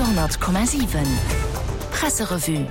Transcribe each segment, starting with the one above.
100,7 Presserevue.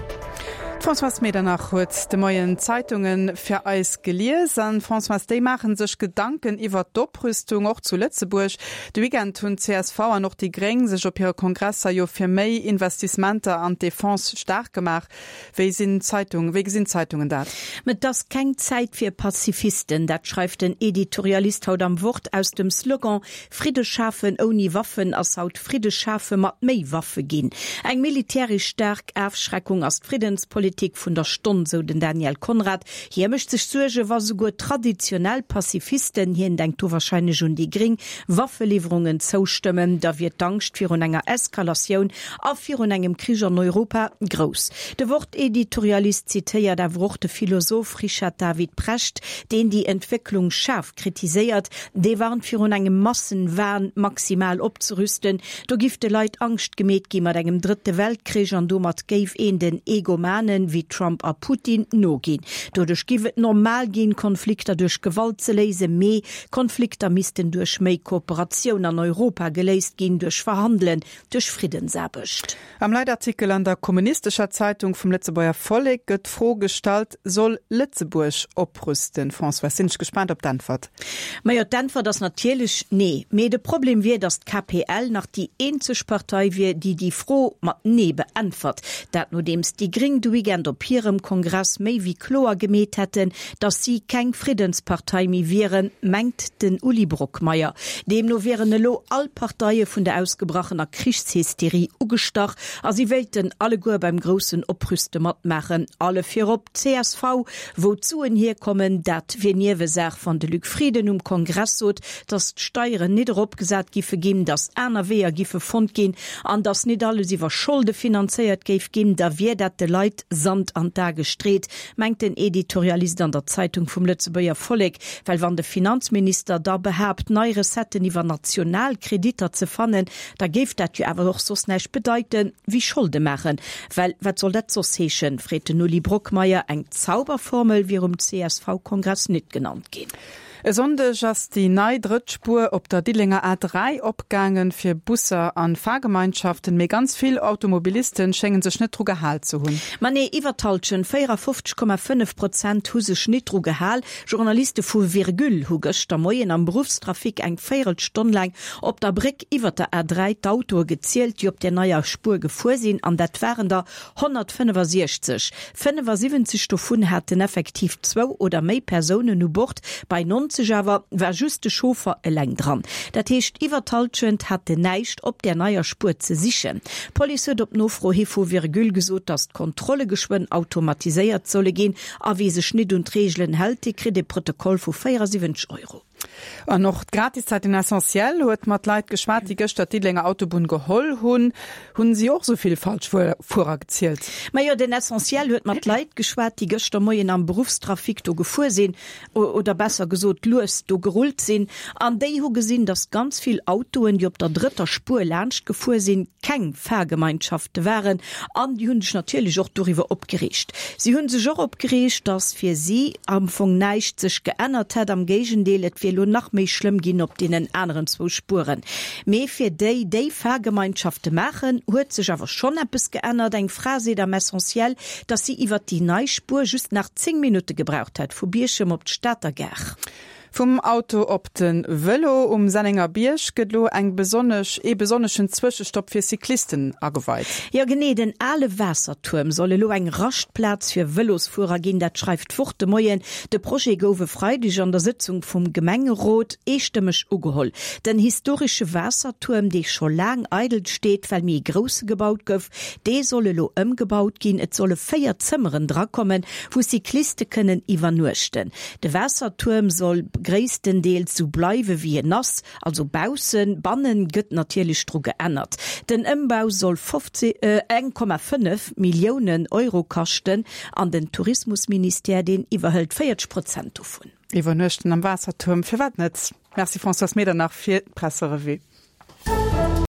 D'Françoise Medernach huet de Moien d'Zeitunge fir eis gelies. An, Françoise, déi maache sech Gedanken iwwert d'Oprüstung, och zu Lëtzebuerg. De Weekend hunn csv an och déi Gréng sech op hire Kongresser jo fir méi Investissementer an d'Defense staark gemaach. Wéi sinn d'Zeitung, wéi gesinn d'Zeitungen dat? Et ass keng Zäit fir Pazifisten, dat schreift den Editorialist haut am Wort. Aus dem Slogan Fridde schafen ouni Waffen ass haut Fridde schafe mat méi Waffe ginn. Eng militäresch staark Afschreckung ass d'Friddenspolitik vun der Stonn, sou den Daniel Conrad. Hie mécht sech Suerge wa souguer traditionell Pazifisten, hien denkt do warscheinlech un déi Gréng, Waffeliwwerungen zoustëmmen, da wier d'Angscht virun enger Eskalatioun a virun engem Krich an Europa grouss. De Wort-Editorialist zitéiert awer och de Philosoph Richard David Precht, deen déi Entwécklung schaarf kritiséiert. Dee warnt virun engem Massenwahn, maximal opzerüsten. Do giff de Leit Angscht gemeet gi mat engem drëtte Weltkrich an domat géif een den Egomanen wéi Trump a Putin noginn. Doduerch giff et normal ginn, Konflikter duerch Gewalt ze léisen, mee Konflikter missten duerch méi Kooperatioun an Europa geléist ginn, duerch Verhandelen, duerch Friddensaarbecht. Am Leitartikel an der Kommunistescher Zeitung vum Lëtzebuerger Vollek gëtt d'Fro gestallt, Soll Lëtzebuerg oprüsten? Françoise, sinn ech gespaant op d'Äntwert. Majo, d'Äntwert ass natierlech nee. Mee de Problem wier, datt d'KPL nach déi eenzeg Partei wier, déi déi Fro mat nee beäntwert. Dat nodeems déi Gréng de Weekend op hirem Kongress méi wéi kloer gemeet hätten, datt si keng Friddenspartei méi wieren, mengt den Uli Brockmeyer. Deemno wieren elo all Parteie vun der ausgebrachener Krichshysterie ugestach a si wéilten alleguer beim groussen Oprüste matmaachen. Alle virop d'CSV. Wou d'Suen hierkommen, dat wier Niewesaach. Wann de Luc Frieden um Kongress sot, datt d'Steieren nit eropgesat giffe ginn, datt aner Weeër giffe fonnt ginn an datt nit alles iwwer Scholde finanzéiert géif ginn, da wier dat de Leit Sand an d'A gestreet, mengt den Editorialist an der Zeitung vum Lëtzebuerger Vollek. Well wann de Finanzminister da behaapt, nei Recetten iwwer national Kreditter ze fannen, da géif dat jo awer och soss näischt bedeite wéi Scholde maachen. Well wat soll dat soss heeschen, freet den Uli Brockmeyer. Eng Zauberformel wier um CSV-Kongress nit genannt ginn. E Sonndeg ass déi nei drëtt Spuer op der Diddelenger A3 opgaangen fir Busser an Fahrgemeinschaften, mee ganz vill Automobilisten schéngen sech net dru gehal ze hunn. Ma nee, iwwer d'Hallschent, 54,5 Prozent, hu sech nit dru gehal. Journaliste vu Virgule hu gëschter Moien am Beruffstrafic eng Véierelstonn laang op der Bréck iwwer der A3 d'Autoe gezielt, déi op där neier Spuer gefuer sinn, an dat waren der 165. 75 dovun haten effektiv zwou oder méi Persounen u Bord, bei 90 awer war just de Chauffer eleng dran. Dat heescht, iwwer d'Hallschent haten näischt op där neier Spuer ze sichen. D'Police huet op Nofro hi vu Virgule gesot, datt d'Kontrolle geschwënn automatiséiert solle ginn a wie sech nit un d'Reegelen hält, dee kritt e Protokoll vu 74 Euro. An och d'Gratiszeitung L'Essentiel huet mat Leit geschwat, déi gëschter d'Diddelenger Autobunn geholl hunn. Hunn si och esou vill Falschfuerer gezielt? Majo, den Essentiel huet mat Leit geschwat, déi gëschter Moien am Beruffstrafic do gefuer sinn, oder besser gesot lues do gerullt sinn. An déi hu gesinn, datt ganz vill Autoen, déi op der drëtter Spuer laanscht gefuer sinn, keng Fahrgemeinschafte waren. An déi hu sech natierlech och doriwwer opgereegt. Si hu sech och opgereegt, datt fir si am Fong näischt sech geännert hätt, am Géigendeel, et wier elo nach méi schlëmm ginn op deenen aneren zwou Spueren. Mee fir déi, déi Fahrgemeinschafte maachen, huet sech awer schonn eppes geännert. Eng Fra seet am Essentiel, datt si iwwert déi nei Spuer just nach 10 Minutte gebraucht hätt vu Bierchem op d'Stater Gare. Vum Auto op de Vëlo, Um Sennenger Bierg gëtt elo eng besonnesch ee besonneschen Zwëschestopp fir Cyclisten ageweit. Jo genee, den ale Waassertuerm soll elo eng Raschtplaz fir Vëlosfuerer ginn, dat schreift d'Wort de Moien. De Projet gouf e Freideg an der Sëtzung vum Gemengerot eestëmmeg ugeholl. Den historesche Waassertuerm, dee scho laang eidel steet, well méi e grousse gebaut gouf, dee soll elo ëmgebaut ginn. Et solle 4 Zëmmeren drakommen, wou Cycliste kënnen iwwernuechten. De Waassertuerm soll gréisstendeels sou bleiwe wéi en ass, also baussen. Bannen gëtt natierlech dru geännert. Den Ëmbau soll 1,5 Milliounen Euro kaschten an den Tourismusministère, deen iwwerhëlt 40 Prozent dovun. Iwwernuechten am Waassertuerm, firwat net? Merci Françoise Medernach fir d'Presserevue.